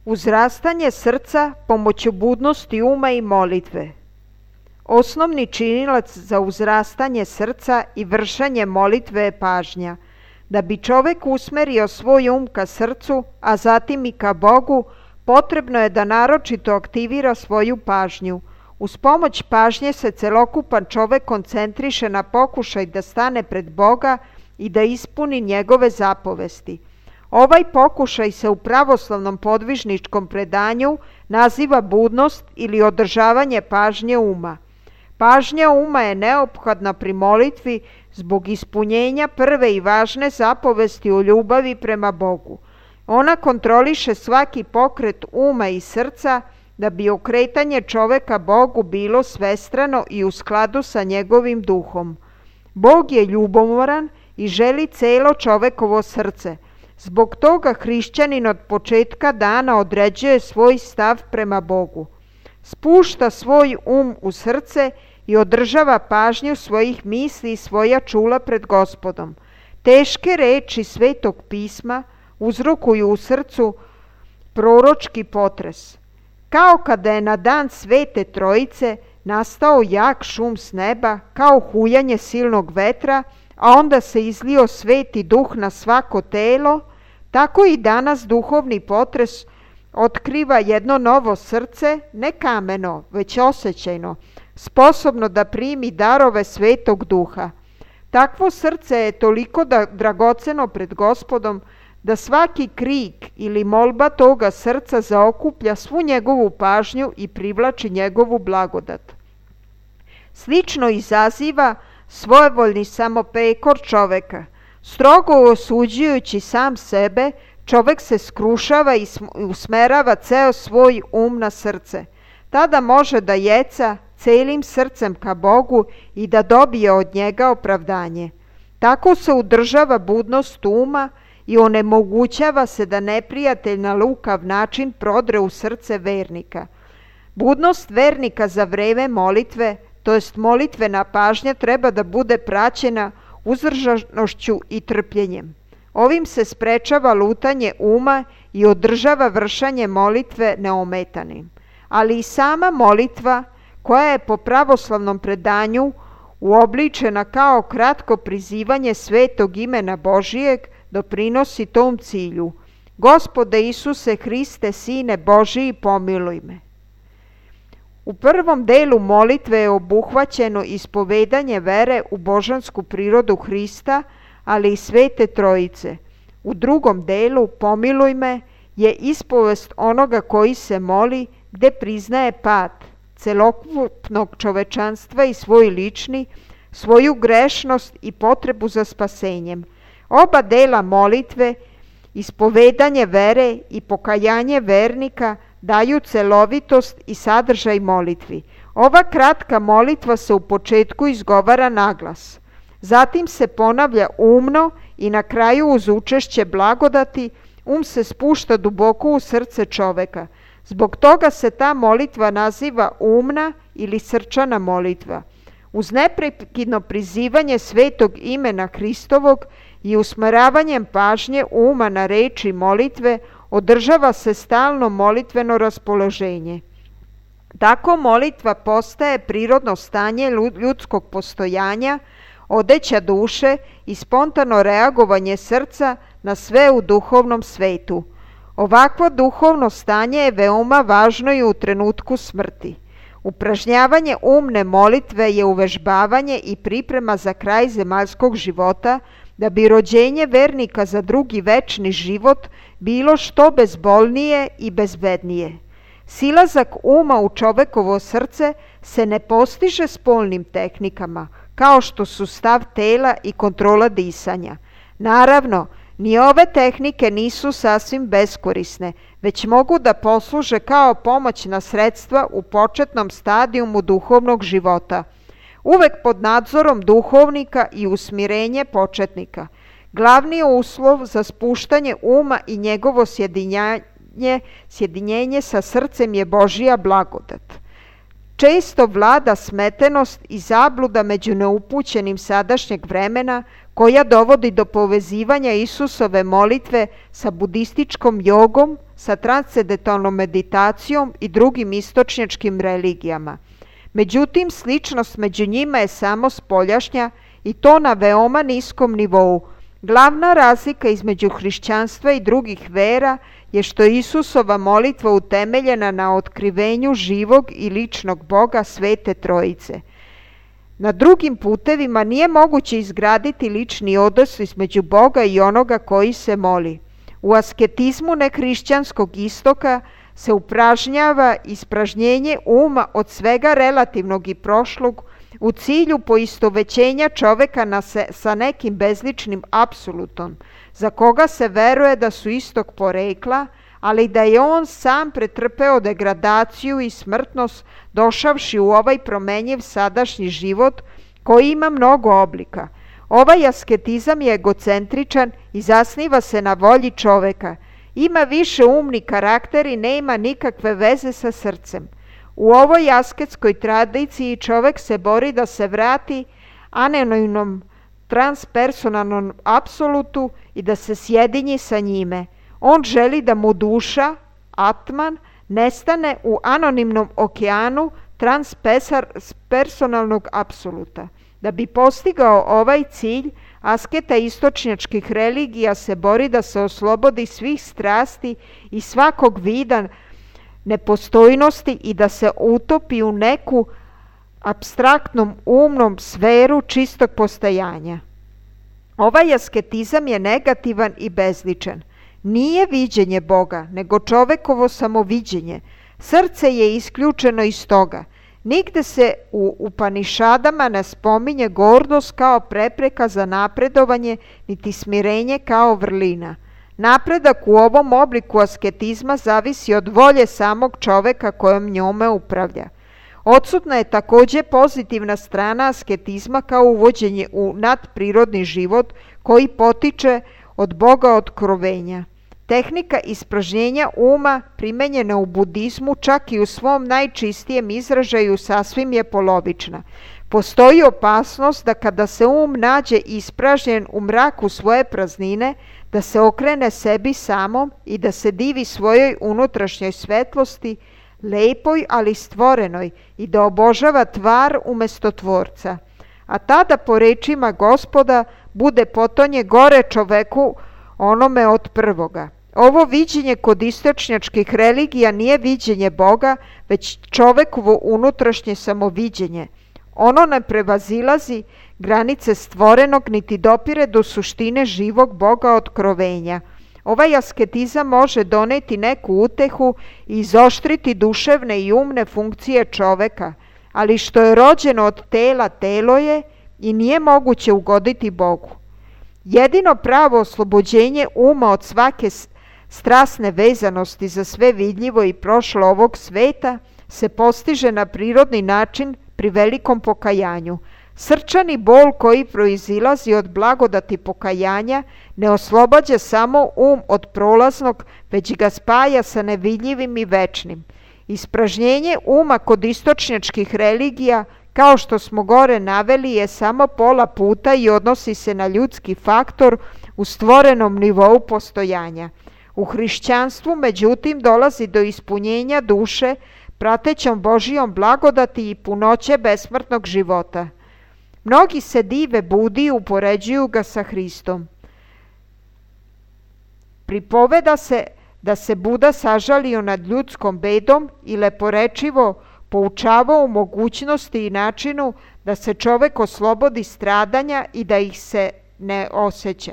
Uzrastanje srca pomoću budnosti uma i molitve. Osnovni činilac za uzrastanje srca i vršenje molitve je pažnja. Da bi čovek usmerio svoj um ka srcu, a zatim i ka Bogu, potrebno je da naročito aktivira svoju pažnju. Uz pomoć pažnje se celokupan čovek koncentriše na pokušaj da stane pred Boga i da ispuni njegove zapovesti. Ovaj pokušaj se u pravoslavnom podvižničkom predanju naziva budnost ili održavanje pažnje uma. Pažnja uma je neophodna pri molitvi zbog ispunjenja prve i važne zapovesti o ljubavi prema Bogu. Ona kontroliše svaki pokret uma i srca da bi okretanje čoveka Bogu bilo svestrano i u skladu sa njegovim duhom. Bog je ljubomoran i želi celo čovekovo srce. Zbog toga hrišćanin od početka dana određuje svoj stav prema Bogu. Spušta svoj u srce i održava pažnju svojih misli i svoja čula pred Gospodom. Teške reči Svetog pisma uzrokuju u srcu proročki potres. Kao kada je na dan Svete Trojice nastao jak šum s neba, kao hujanje silnog vetra, a onda se izlio Sveti Duh na svako telo, tako i danas duhovni potres otkriva jedno novo srce, ne kameno, već osjećajno, sposobno da primi darove Svetog Duha. Takvo srce je toliko dragoceno pred Gospodom da svaki krik ili molba toga srca zaokuplja svu njegovu pažnju i privlači njegovu blagodat. Slično izaziva svojevoljni samoprekor čoveka. Strogo osuđujući sam sebe, čovek se skrušava i usmerava ceo svoj um na srce. Tada može da jeca celim srcem ka Bogu i da dobije od njega opravdanje. Tako se udržava budnost uma i onemogućava se da neprijatelj na lukav način prodre u srce vernika. Budnost vernika za vreme molitve, to jest molitvena pažnja, treba da bude praćena uzdržanošću i trpljenjem. Ovim se sprečava lutanje uma i održava vršenje molitve neometanim. Ali i sama molitva, koja je po pravoslavnom predanju uobličena kao kratko prizivanje svetog imena Božijeg, doprinosi tom cilju. Gospode Isuse Hriste, Sine Božiji, pomiluj me. U prvom delu molitve je obuhvaćeno ispovedanje vere u božansku prirodu Hrista, ali i Svete Trojice. U drugom delu, pomiluj me, je ispovest onoga koji se moli, gde priznaje pad celokupnog čovečanstva i svoj lični, svoju grešnost i potrebu za spasenjem. Oba dela molitve, ispovedanje vere i pokajanje vernika, daju celovitost i sadržaj molitvi. Ova kratka molitva se u početku izgovara naglas. Zatim se ponavlja umno i na kraju uz učešće blagodati se spušta duboko u srce čoveka. Zbog toga se ta molitva naziva umna ili srčana molitva. Uz neprekidno prizivanje svetog imena Hristovog i usmeravanjem pažnje uma na reči molitve održava se stalno molitveno raspoloženje. Tako molitva postaje prirodno stanje ljudskog postojanja, odeća duše i spontano reagovanje srca na sve u duhovnom svetu. Ovakvo duhovno stanje je veoma važno i u trenutku smrti. Upražnjavanje umne molitve je uvežbavanje i priprema za kraj zemaljskog života, da bi rođenje vernika za drugi večni život bilo što bezbolnije i bezbednije. Silazak uma u čovekovo srce se ne postiže spolnim tehnikama, kao što su stav tela i kontrola disanja. Naravno, ni ove tehnike nisu sasvim beskorisne, već mogu da posluže kao pomoćna sredstva u početnom stadijumu duhovnog života, uvek pod nadzorom duhovnika i usmirenje početnika. Glavni uslov za spuštanje uma i njegovo sjedinjenje sa srcem je Božija blagodat. Često vlada smetenost i zabluda među neupućenim sadašnjeg vremena, koja dovodi do povezivanja Isusove molitve sa budističkom jogom, sa transcendentalnom meditacijom i drugim istočnjačkim religijama. Međutim, sličnost među njima je samo spoljašnja i to na veoma niskom nivou. Glavna razlika između hrišćanstva i drugih vera je što je Isusova molitva utemeljena na otkrivenju živog i ličnog Boga Svete Trojice. Na drugim putevima nije moguće izgraditi lični odnos između Boga i onoga koji se moli. U asketizmu nehrišćanskog istoka se upražnjava ispražnjenje uma od svega relativnog i prošlog u cilju poistovećenja čoveka sa nekim bezličnim apsolutom, za koga se veruje da su istog porekla, ali da je on sam pretrpeo degradaciju i smrtnost došavši u ovaj promenjiv sadašnji život koji ima mnogo oblika. Ovaj asketizam je egocentričan i zasniva se na volji čoveka. Ima više umni karakter i nema nikakve veze sa srcem. U ovoj asketskoj tradiciji čovek se bori da se vrati anonimnom transpersonalnom apsolutu i da se sjedinji sa njime. On želi da mu duša, atman, nestane u anonimnom okeanu transpersonalnog apsoluta. Da bi postigao ovaj cilj, asketa istočnjačkih religija se bori da se oslobodi svih strasti i svakog vida nepostojnosti i da se utopi u neku apstraktnom umnom sferu čistog postojanja. Ovaj asketizam je negativan i bezličan. Nije viđenje Boga, nego čovekovo samoviđenje. Srce je isključeno iz toga. Nigde se u Upanišadama ne spominje gordost kao prepreka za napredovanje, niti smirenje kao vrlina. Napredak u ovom obliku asketizma zavisi od volje samog čoveka kojom njome upravlja. Odsutna je takođe pozitivna strana asketizma kao uvođenje u nadprirodni život koji potiče od Boga otkrovenja. Tehnika ispražnjenja uma primenjena u budizmu čak i u svom najčistijem izražaju sasvim je polovična. Postoji opasnost da kada se nađe ispražnjen u mraku svoje praznine, da se okrene sebi samom i da se divi svojoj unutrašnjoj svetlosti, lepoj ali stvorenoj, i da obožava tvar umesto tvorca. A tada, po rečima Gospoda, bude potonje gore čoveku onome od prvoga. Ovo viđenje kod istočnjačkih religija nije viđenje Boga, već čovekovo unutrašnje samoviđenje. Ono ne prevazilazi granice stvorenog niti dopire do suštine živog Boga otkrovenja. Ovaj asketizam može doneti neku utehu i izoštriti duševne i umne funkcije čoveka, ali što je rođeno od tela, telo je i nije moguće ugoditi Bogu. Jedino pravo oslobođenje uma od svake strasne vezanosti za sve vidljivo i prošlo ovog sveta se postiže na prirodni način pri velikom pokajanju. Srčani bol koji proizilazi od blagodati pokajanja ne oslobađa samo od prolaznog, već ga spaja sa nevidljivim i večnim. Ispražnjenje uma kod istočnjačkih religija, kao što smo gore naveli, je samo pola puta i odnosi se na ljudski faktor u stvorenom nivou postojanja. U hrišćanstvu, međutim, dolazi do ispunjenja duše pratećom Božijom blagodati i punoće besmrtnog života. Mnogi se dive Budi i upoređuju ga sa Hristom. Pripoveda se da se Buda sažalio nad ljudskom bedom i leporečivo poučavao o mogućnosti i načinu da se čovek oslobodi stradanja i da ih se ne osjeća.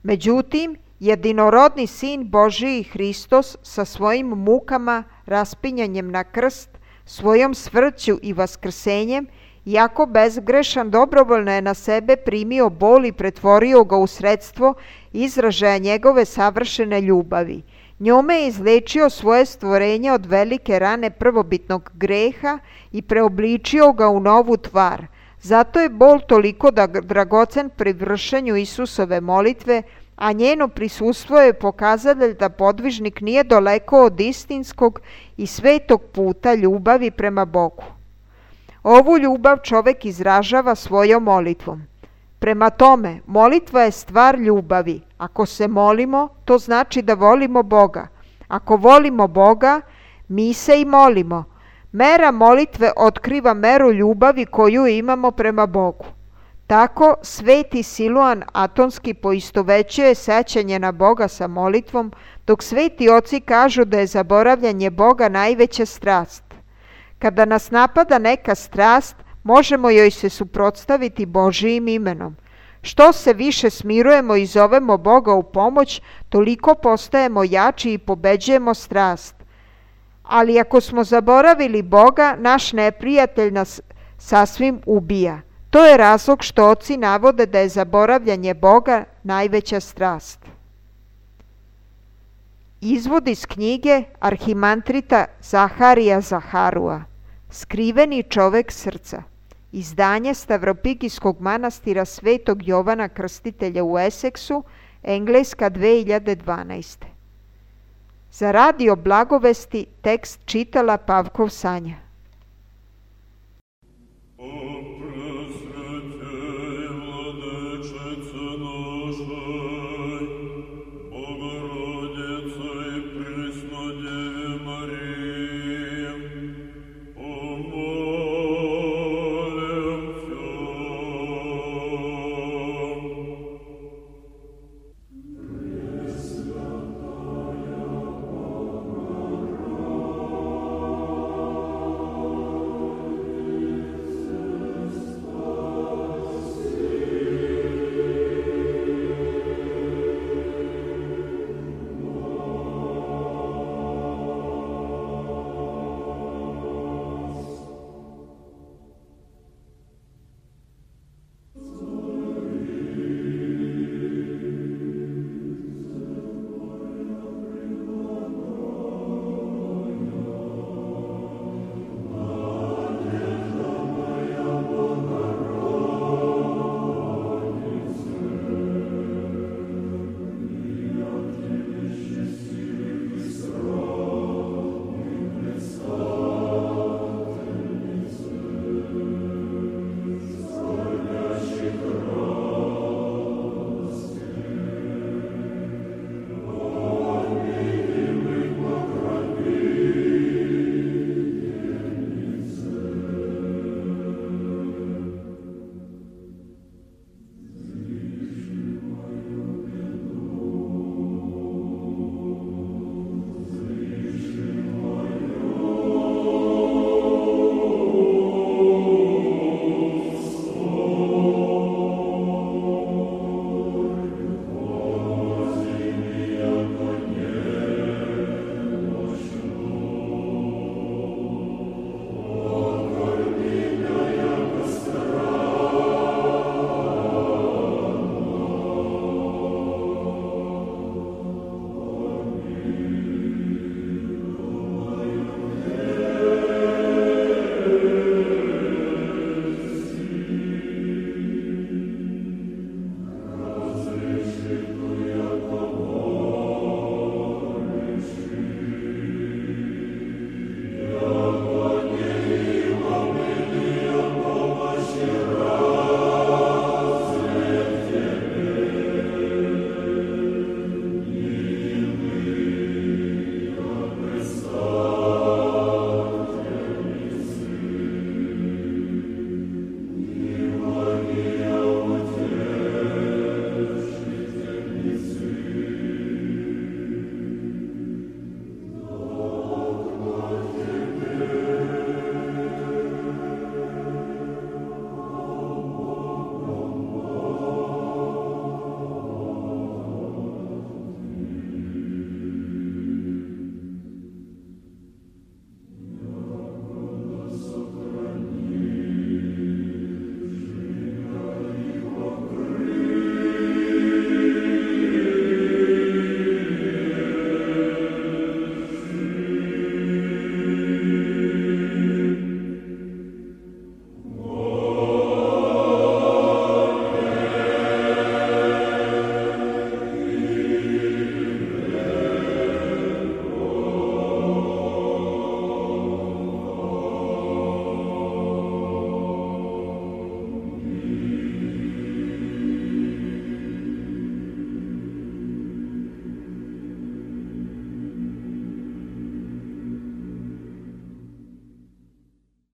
Međutim, jedinorodni Sin Božiji Hristos sa svojim mukama, raspinjanjem na krst, svojom smrću i vaskrsenjem, iako bezgrešan, dobrovoljno je na sebe primio bol i pretvorio ga u sredstvo izražaja njegove savršene ljubavi. Njome je izlečio svoje stvorenje od velike rane prvobitnog greha i preobličio ga u novu tvar. Zato je bol toliko dragocen pri vršenju Isusove molitve, a njeno prisustvo je pokazatelj da podvižnik nije daleko od istinskog i svetog puta ljubavi prema Bogu. Ovu ljubav čovek izražava svojom molitvom. Prema tome, molitva je stvar ljubavi. Ako se molimo, to znači da volimo Boga. Ako volimo Boga, mi se i molimo. Mera molitve otkriva meru ljubavi koju imamo prema Bogu. Tako sveti Siluan Atonski poistovećuje sećanje na Boga sa molitvom, dok sveti oci kažu da je zaboravljanje Boga najveća strast. Kada nas napada neka strast, možemo joj se suprotstaviti Božijim imenom. Što se više smirujemo i zovemo Boga u pomoć, toliko postajemo jači i pobeđujemo strast. Ali ako smo zaboravili Boga, naš neprijatelj nas sasvim ubija. To je razlog što oci navode da je zaboravljanje Boga najveća strast. Izvod iz knjige arhimantrita Zaharija Zaharua, Skriveni čovek srca, izdanje Stavropigijskog manastira Svetog Jovana Krstitelja u Eseksu, Engleska 2012. Za radio Blagovesti tekst čitala Pavkov Sanja.